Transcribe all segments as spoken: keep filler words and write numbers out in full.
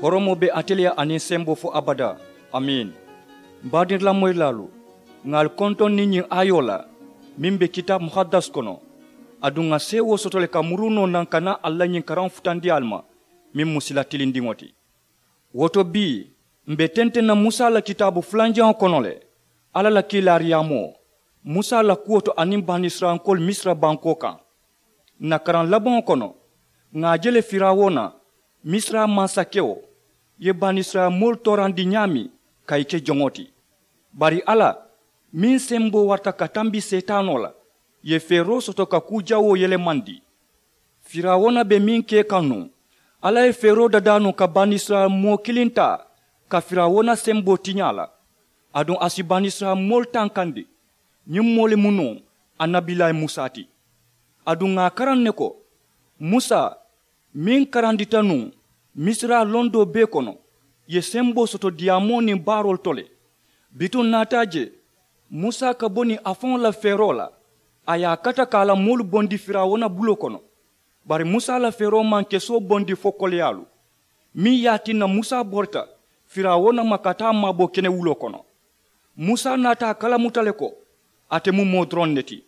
Horomoo be ate le ye aniŋ semboo fo abadaa. Amiin. M baadirilamoyilaalu, ŋà ali kontoŋ niŋ ñiŋ aayoo la meŋ be kitaabu muhaddas kono. Aduŋ ŋà seewoo soto le ka muruu noo naŋ ka naa ali la ñiŋ karaŋo futandi ali ma, meŋ mu sila tilindiŋo ti. Wo to bii, m be tenteŋ na musa la kitaabu fulanjaŋo kono le, alla la kiilaariyaamoo, musa la kuwo to aniŋ banisirayilankoolu misira bankoo kaŋ. Ǹ na karaŋ labaŋo kono, ŋà a je le firawuna, misira mansakewo, ye banisirayila moolu toorandi ñaameŋ ka ì ke joŋo ti. Bari alla, meŋ semboo warata ka tambi seetaanoo la, ye feeroo soto ka kuu jawoo yelemandi. Firawuna be meŋ kee kaŋ nuŋ, alla ye feeroo dadaa nuŋ ka banisirayila moo kiliŋ taa ka firawuna semboo tiñaa la. Aduŋ a si banisirayila moolu tankandi. Ñiŋ moo le mu nuŋ annabilayi musa ti. Aduŋ ŋà a karaŋ ne ko, musa, meŋ karandita nuŋ misira londoo bee kono, ye semboo soto diyaamoo niŋ baaroolu to le. Bituŋ naata a je, musa ka bo niŋ a faŋo la feeroo la, a ye a kata ka a la moolu bondi firawuna buloo kono. Bari musa la feeroo maŋ kesoo bondi fo koleyaalu, meŋ ye a tinna musa borita firawuna ma ka taa maabo kenewuloo kono. Musa naata a kalamuta le ko ate mu moo doroŋ ne ti.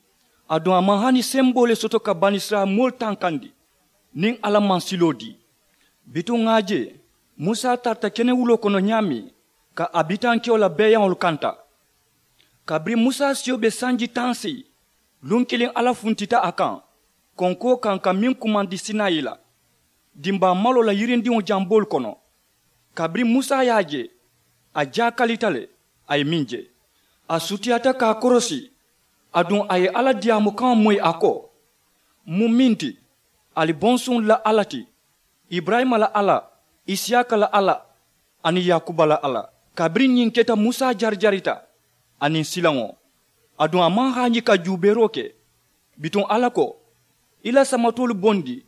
Aduŋ a maŋ hani semboo le soto ka banisirayila moolu tankandi niŋ alla maŋ siloo dii. Bituŋ ŋà a je, musa tarata kenewuloo kono ñaameŋ, ka a bitankewo la beeyaŋolu kanta. Kabiriŋ musa siyo be sanji taŋ seyi, luŋ kiliŋ alla funtita a kaŋ konkoo kaŋ ka meŋ kumandi sinayi la, dimbaa maloo la yirindiŋo jamboolu kono. Kabiriŋ musa ye a je, a jaakalita le, a ye meŋ je, a sutiyaata ka a korosi. Aduŋ a ye alla diyaamu kaŋo moyi a ko, m mu meŋ ti, ali bonsuŋolu la alla ti, iburayima la alla, isiyaaka la alla, aniŋ yakuba la alla. Kabiriŋ ñiŋ keta, musa jarijarita aniŋ silaŋo. Aduŋ a maŋ haañi ka juubeeroo ke. Bituŋ alla ko, i la samatoolu bondi,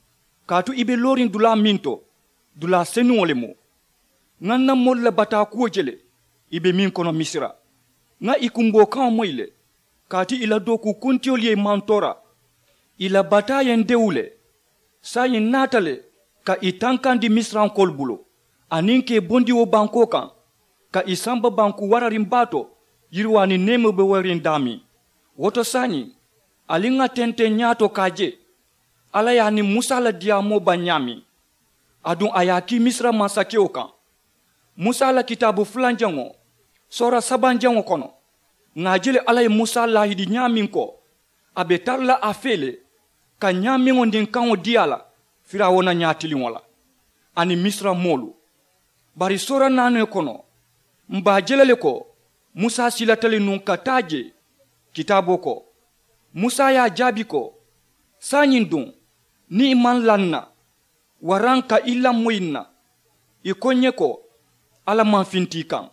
kaatu i be looriŋ dulaa meŋ to, dulaa senuŋo le mu. Ŋà ǹ na moolu la bataa kuwo je le, i be meŋ kono misira. Ŋà i kumboo kaŋo moyi le, kaatu i la dookuu kuntiyolu ye i mantoora. I la bataa ye ǹ dewu le. Saayiŋ ǹ naata le ka i tankandi misirankoolu bulu, aniŋ ka i bondi wo bankoo kaŋ, ka i samba banku warariŋ baa to, yiriwaa niŋ neemoo be warariŋ daameŋ. Wo to saayiŋ, ali ŋà tenteŋ ñaato ka a je, alla ye a niŋ musa la diyaamoo baŋ ñaameŋ. Aduŋ a ye a kii misira mansakewo kaŋ. Musa la kitaabu fulanjaŋo, soora sabanjaŋo kono, ŋà a je le alla ye musa laahidi ñaameŋ ko, a be tara la a fee le, ka ñaameŋo niŋ kaŋo dii a la firawuna ñaatiliŋo la, aniŋ misira moolu. Bari soora naanoo kono, m be a je la le ko, musa silata le nuŋ ka taa jee. Kitaaboo ko, musa ye a jaabi ko, saayiŋ duŋ, niŋ i maŋ laa ǹ na, waraŋ ka i lamoyi ǹ na, i ko ǹ ye ko, alla maŋ finti i kaŋ.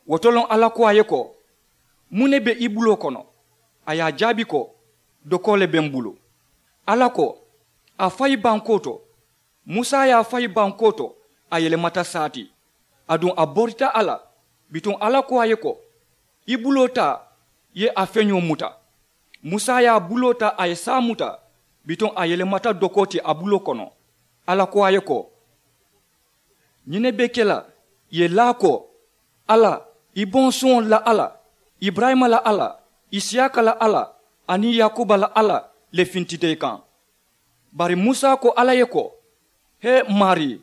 Wo to loŋ alla ko a ye ko, muŋ ne be i buloo kono? A ye a jaabi ko, dokoo le be m bulu. Alla ko, a fayi bankoo to. Musa ye a fayi bankoo to, a yelemata saa ti. Aduŋ a borita a la. Bituŋ alla ko a ye ko, i buloo taa, i ye a feñoo muta. Musa ye a buloo taa, a ye saa muta. Bituŋ a yelemata dokoo ti a buloo kono. Alla ko a ye ko, ñiŋ ne be ke la, i ye laa ko, alla, i bonsuŋolu la alla, iburayima la alla, isiyaaka la alla, aniŋ yakuba la alla le fintita i kaŋ. Bari musa ko alla ye ko, hee, maarii,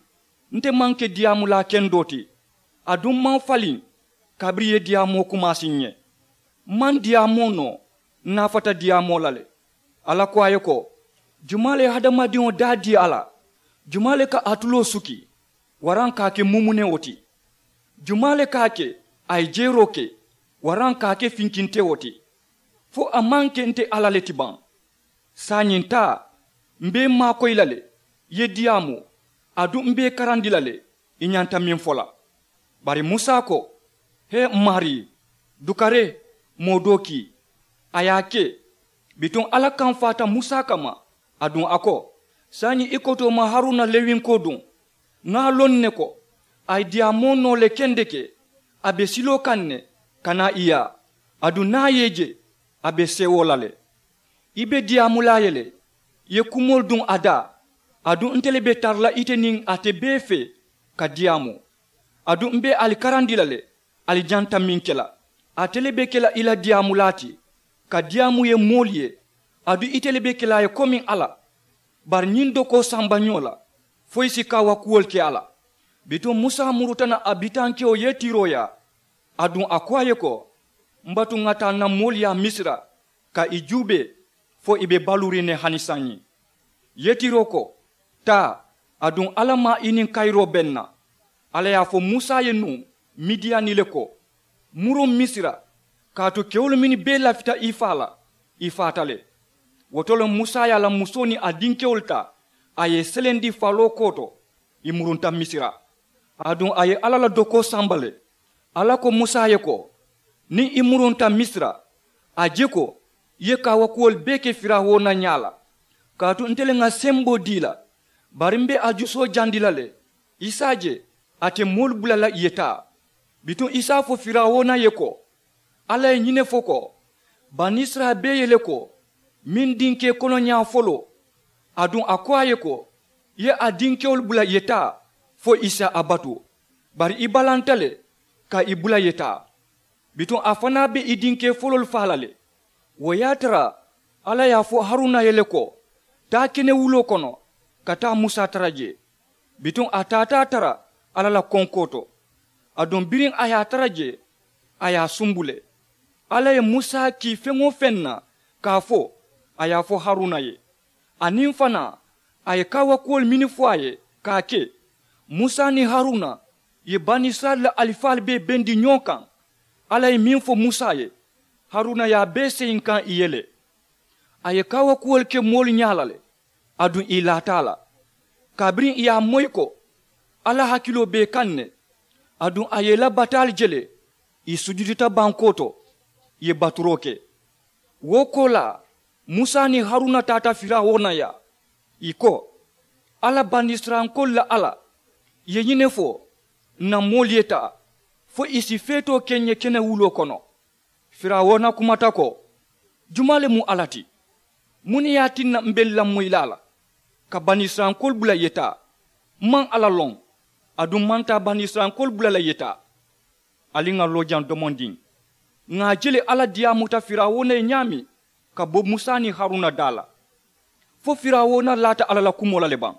nte maŋ ke diyaamulaa kendoo ti, aduŋ m maŋ faliŋ kabiriŋ i ye diyaamoo kumaasi ǹ ye. M maŋ diyaamoo noo, n naafata diyaamoo la le. Alla ko a ye ko, jumaa le ye hadamadiŋo daa dii a la? Jumaa le ka a tuloo suki, waraŋ ka a ke mumunewo ti? Jumaa le ka a ke a ye jeeroo ke, waraŋ ka a ke finkintewo ti? Fo a maŋ ke nte alla le ti baŋ? Saayiŋ taa, m be i maakoyi la le, i ye diyaamu, aduŋ m be i karandi la le, i ñanta meŋ fo la. Bari musa ko, hee, m maarii, dukare, moo doo kii. A ye a ke. Bituŋ alla kamfaata musa kamma. Aduŋ a ko, saayiŋ i kotoo ma haruna lewinkoo duŋ. Ŋà a loŋ ne ko, a ye diyaamoo noo le kendeke, a be siloo kaŋ ne, ka naa i yaa. Aduŋ niŋ a ye i je, a be seewoo la le. I be diyaamulaa ye le, i ye kumoolu duŋ a daa. Aduŋ nte le be tara la ite niŋ ate bee fee, ka diyaamu. Aduŋ m be ali karandi la le, ali ñanta meŋ ke la. Ate le be ke la i la diyaamulaa ti, ka diyaamu ye moolu ye. Aduŋ ite le be ke la a ye komiŋ alla. Bari ñiŋ dokoo samba ñoo la, fo i si kaawakuwolu ke a la. Bituŋ musa muruta na a bitankewo yetiroo yaa. Aduŋ a ko a ye ko, m batu ŋa taa n na moolu yaa misira, ka i juubee, fo i be baluuriŋ ne hani saayiŋ. Yetiroo ko, taa. Aduŋ alla maa i niŋ kayiroo be n na. Alla ye a fo musa ye nuŋ midiyani le ko, muruŋ misira, kaatu kewolu mennu bee lafita i faa la, i faata le. Wo to le musa ye a la musoo niŋ a dinkewolu taa, a ye i selendi faloo kooto, i murunta misira. Aduŋ a ye alla la dokoo samba le. Alla ko musa ye ko, niŋ i murunta misira, a je ko i ye kaawakuwolu bee ke firawuna ñaa la. Kaatu nte le ŋa semboo dii la, bari m be a jusoo jandi la le. I si a je, ate moolu bula la i ye taa. Bituŋ i si a fo firawuna ye ko, alla ye ñiŋ ne fo ko, banisirayila bee ye le ko, meŋ dinkee konoñaa foloo. Aduŋ a ko a ye ko, i ye a dinkewolu bula i ye taa, fo i si a batu. Bari i balanta le, ka i bula i ye taa. Bituŋ a fanaa be i dinkee foloolu faa la le. Wo ye a tara alla ye a fo haruna ye le ko, taa kenewuloo kono, ka taa musa tara jee. Bituŋ a taata a tara alla la konkoo to. Aduŋ biriŋ a ye a tara jee, a ye a sumbu le. Alla ye musa kii feŋ-wo-feŋ na, ka a fo a ye a fo haruna ye. Aniŋ fanaa, a ye kaawakuwolu mennu fo a ye, ka a ke. Musa niŋ haruna ye banisirayila la alifaalu bee bendi ñoo kaŋ. Alla ye meŋ fo musa ye, haruna ye a bee seyinkaŋ i ye le. A ye kaawakuwolu ke moolu ñaa la le, aduŋ ì laata a la. Kabiriŋ ì ye a moyi ko alla hakiloo be ì kaŋ ne, aduŋ a ye ì la bataalu je le, ì sujudita bankoo to, ì ye baturoo ke. Wo koolaa, musa niŋ haruna taata firawuna yaa, ì ko, alla banisirayilankoolu la alla, ì ye ñiŋ ne fo, ǹ na moolu ye taa, fo ì si feetoo ke ǹ ye kenewuloo kono. Firawuna kumata ko, jumaa le mu alla ti? Muŋ ne ye a tinna m be n lamoyilaa la, ka banisirayilankoolu bula ì ye taa? M maŋ alla loŋ, aduŋ m maŋ taa banisirayilankoolu bula la ì ye taa. Ali ŋà loo jaŋ domondiŋ. Ŋà a je le alla diyaamuta firawuna ye ñaameŋ, ka bo musa niŋ haruna daa la. Fo firawuna laata alla la kumoo la le baŋ?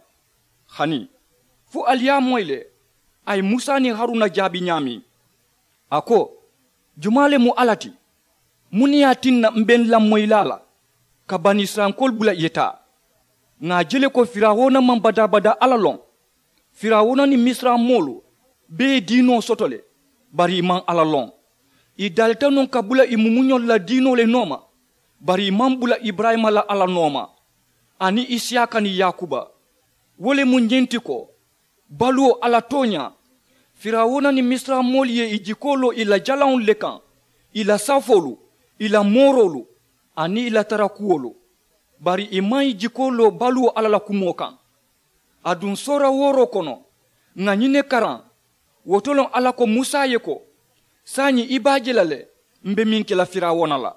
Hani, fo ali ye a moyi le, a ye musa niŋ haruna jaabi ñaameŋ. A ko, jumaa le mu alla ti? Muŋ ne ye a tinna m be n lamoyilaa la, ka banisirayilankoolu bula ì ye taa? Ŋà a je le ko firawuna maŋ badaa-badaa alla loŋ. Firawuna niŋ misira moolu bee ye diinoo soto le, bari ì maŋ alla loŋ. Ì dalita nuŋ ka bula ì mumuñolu la diinoo le nooma, bari ì maŋ bula iburayima la alla nooma, aniŋ isiyaaka niŋ yaakuba. Wo le mu ñiŋ ti ko, baluwo alla tooñaa, firawuna niŋ misira moolu ye ì jikoo loo ì la jalaŋolu le kaŋ, ì la safoolu, ì la mooroolu, aniŋ ì la tarakuwolu. Bari ì maŋ ì jikoo loo baluwo alla la kumoo kaŋ. Aduŋ soora wooroo kono, ŋà ñiŋ ne karaŋ. Wo to loŋ alla ko musa ye ko, saayiŋ i be a je la le, m be meŋ ke la firawuna la.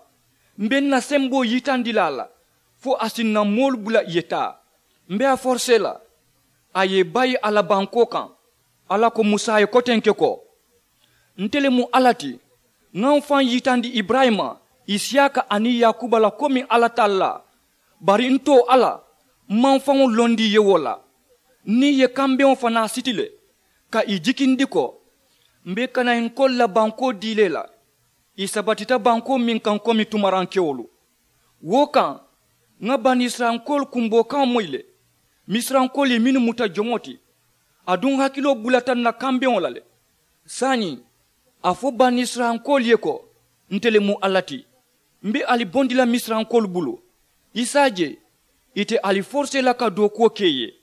M be n na semboo yitandi la a la, fo a si n na moolu bula ì ye taa. M be a forisee la, a ye ì bayi a la bankoo kaŋ. Alla ko musa ye kotenke ko, nte le mu alla ti, ŋa m faŋ yitandi iburayima, isiyaaka aniŋ yaakuba la komiŋ alla tallaa. Bari n too alla, m maŋ faŋo londi i ye wo la. N niŋ i ye kambeŋo fanaa siti le, ka ì jikindi ko, m be kanayinkoolu la bankoo dii le la, ì sabatita bankoo meŋ kaŋ komi tumarankewolu. Wo kaŋ, ŋa banisirayilankoolu kumboo kaŋo moyi le. Misirankoolu ye mennu muta joŋo ti, aduŋ hakiloo bulata n na kambeŋo la le. Saayiŋ, a fo banisirayilankoolu ye ko, nte le mu alla ti. M be ali bondi la misirankoolu bulu. I si a je, ì te ali forisee la ka dookuwo ke ì ye.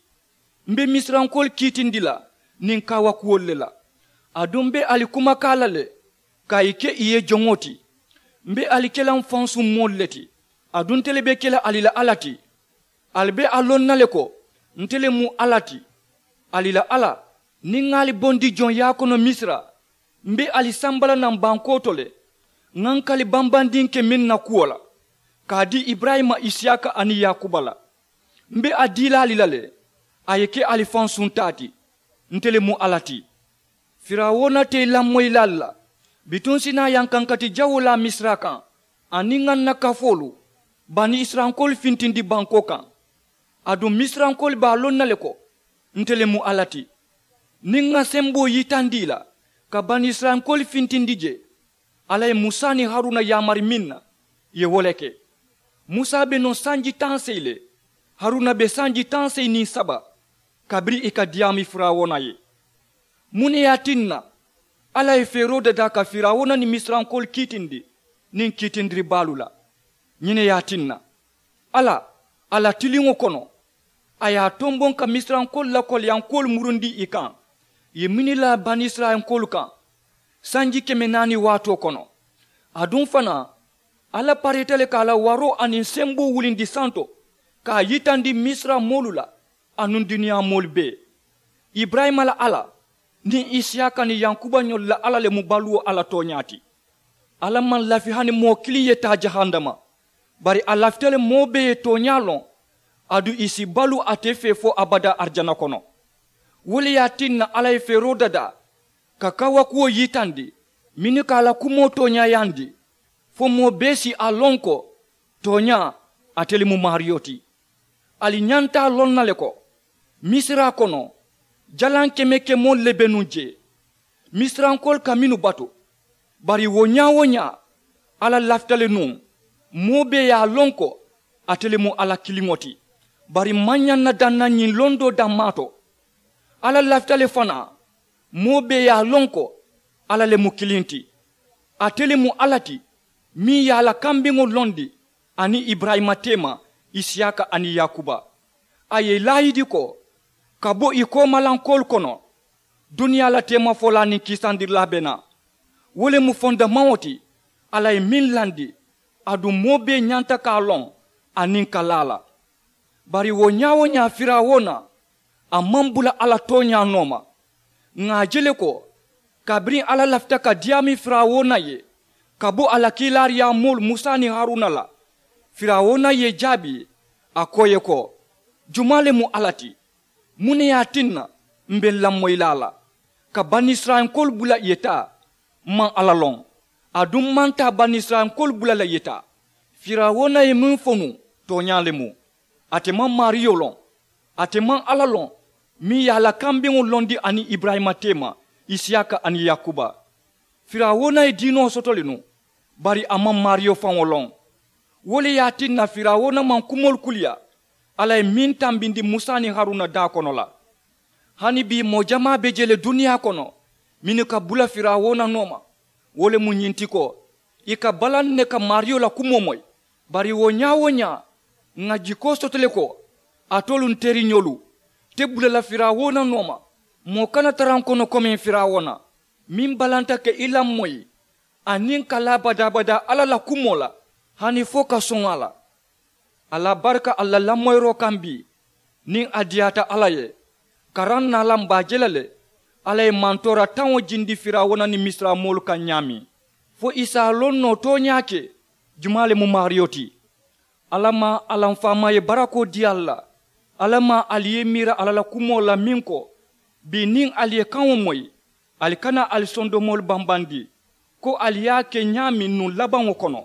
M be misirankoolu kiitindi la niŋ kaawakuwolu le la. Aduŋ m be ali kumakaa la le, ka ì ke ì ye joŋo ti. M be ali ke la m fansuŋ moolu le ti. Aduŋ nte le be ke la ali la alla ti. Ali be a loŋ na le ko, nte le mu alla ti. Ali la alla, niŋ ŋà ali bondi joŋ yaakono misira, m be ali samba la naŋ bankoo to le. Ŋà n kali bambandiŋ ke meŋ na kuwo la, ka a dii iburayima, isiyaaka aniŋ yaakuba la. M be a dii la ali la le, a ye ke ali fansuŋ taa ti. Nte le mu alla ti. Firawuna te i lamoyilaalu la. Bituŋ si naa yankankati jawoo laa misira kaŋ, aniŋ ŋa n na kafoolu, bani isirayilankoolu fintindi bankoo kaŋ. Aduŋ misirayilankoolu be a loŋ na le ko, nte le mu alla ti. Niŋ ŋa semboo yitandi i la, ka bani isirayilankoolu fintindi jee, alla ye musa niŋ haruna yaamari meŋ na, ì ye wo le ke. Musa be nuŋ sanji taŋ seyi le, haruna be sanji taŋ seyi niŋ saba, kabiriŋ ì ka diyaamu firawuna ye. Muŋ ne ye a tinna alla ye feeroo dadaa ka firawuna niŋ misirayilankoolu kiitindi niŋ kiitindiribaalu la? Ñiŋ ne ye a tinna alla, a la tiliŋo kono, a ye a tomboŋ ka misirayilankoolu la koleyankoolu murundi ì kaŋ, ì ye mini la bani isirayilankoolu kaŋ sanji keme naani waatoo kono. Aduŋ fanaa, alla pareeta le ka a la waroo aniŋ semboo wulindi santo, ka a yitandi misira moolu la, anuŋ duniyaa moolu bee. Iburayima la alla niŋ isiyaaka niŋ yankuba ñolu la alla le mu baluwo alla tooñaa ti. Alla maŋ lafi hani moo kiliŋ ye taa jahannama, bari a lafita le moo bee ye tooñaa loŋ, aduŋ ì si baluu ate fee fo abadaa arijana kono. Wo le ye a tinna alla ye feeroo dadaa ka kawakuwo yitandi mennu ka a la kumoo tooñaayandi, fo moo bee si a loŋ ko tooñaa ate le mu maariyo ti. Ali ñanta a loŋ na le ko misira kono, jalaŋ keme kemoolu le be nuŋ jee, misirayilankoolu ka mennu batu. Bari wo ñaa-wo-ñaa, alla lafita le nuŋ moo bee ye a loŋ ko ate le mu alla kiliŋo ti. Bari maŋ ñaŋ na daŋ na ñiŋ londoo dammaa to, alla lafita le fanaa moo bee ye a loŋ ko alla le mu kiliŋ ti. Ate le mu alla ti meŋ ye a la kambeŋo londi aniŋ iburayima teema, isiyaaka aniŋ yaakuba. A ye ì laayidi ko ka bo ì koomalankoolu kono, duniyaa la teemafolaa niŋ kiisandirilaa be naa. Wo le mu fondamaŋo ti alla ye meŋ landi, aduŋ moo bee ñanta ka a loŋ aniŋ ka laa a la. Bari wo ñaa-wo-ñaa firawuna, a maŋ bula alla tooñaa nooma. Ŋà a je le ko kabiriŋ alla lafita ka diyaamu firawuna ye ka bo a la kiilaariyaa moolu musa niŋ haruna la, firawuna ye ì jaabi a ko ì ye ko, jumaa le mu alla ti? Muŋ ne ye a tinna m be n lamoyi la a la ka banisirayilankoolu bula ì ye taa? M maŋ alla loŋ, aduŋ m maŋ taa banisirayilankoolu bula la ì ye taa. Firawuna ye meŋ fo nuŋ, tooñaa le mu. Ate maŋ maariyo loŋ. Ate maŋ alla loŋ meŋ ye a la kambeŋo londi aniŋ iburayima teema, isiyaaka aniŋ yaakuba. Firawuna ye diinoo soto le nuŋ, bari a maŋ maariyo faŋo loŋ. Wo le ye a tinna firawuna maŋ kumoolu kuliyaa alla ye meŋ tambindi musa niŋ haruna daa kono la. Hani bii moo jamaa be je le duniyaa kono mennu ka bula firawuna nooma. Wo le mu ñiŋ ti ko ì ka balaŋ ne ka maariyo la kumoo moyi. Bari wo ñaa-wo-ñaa, ŋà jikoo soto le ko alitolu n teriñolu te bula la firawuna nooma. Moo kana tara n kono komiŋ firawuna, meŋ balanta ka i lamoyi aniŋ ka laa badaa-badaa alla la kumoo la, hani fo ka soŋ a la. Alla barika alla la lamoyiroo kaŋ bii, niŋ a diyaata alla ye, karaŋ naa la m be a je la le. Alla ye mantoora taŋo jindi firawuna niŋ misira moolu kaŋ ñaameŋ, fo ì si a loŋ noo tooñaa ke jumaa le mu maariyo ti. Alla maŋ a la m faamaa ye barakoo dii ali la. Alla maŋ ali ye miira alla la kumoo la meŋ ko, bii niŋ ali ye kaŋo moyi, ali kana ali sondomoolu bambandi, ko ali ye a ke ñaameŋ nuŋ labaŋo kono.